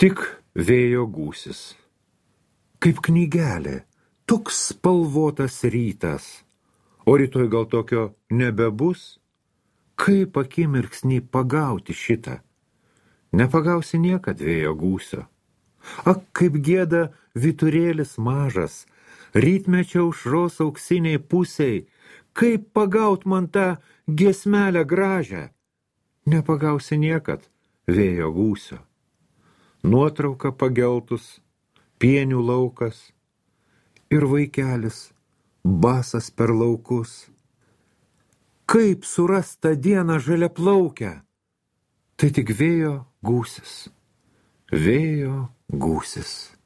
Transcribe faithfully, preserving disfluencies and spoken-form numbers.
Tik vėjo gūsis. Kaip knygelė, toks spalvotas rytas. O rytoj gal tokio nebebus? Kaip akimirksnį pagauti šitą? Nepagausi niekad vėjo gūsio. Ak, kaip gieda vyturėlis mažas, rytmečio aušros auksiniai pusiai, kaip pagaut man tą giesmelę gražią. Nepagausi niekad vėjo gūsio. Nuotrauka pageltus, pienių laukas ir vaikelis basas per laukus. Kaip surast tą dieną žaliaplaukę? Tai tik vėjo gūsis, vėjo gūsis.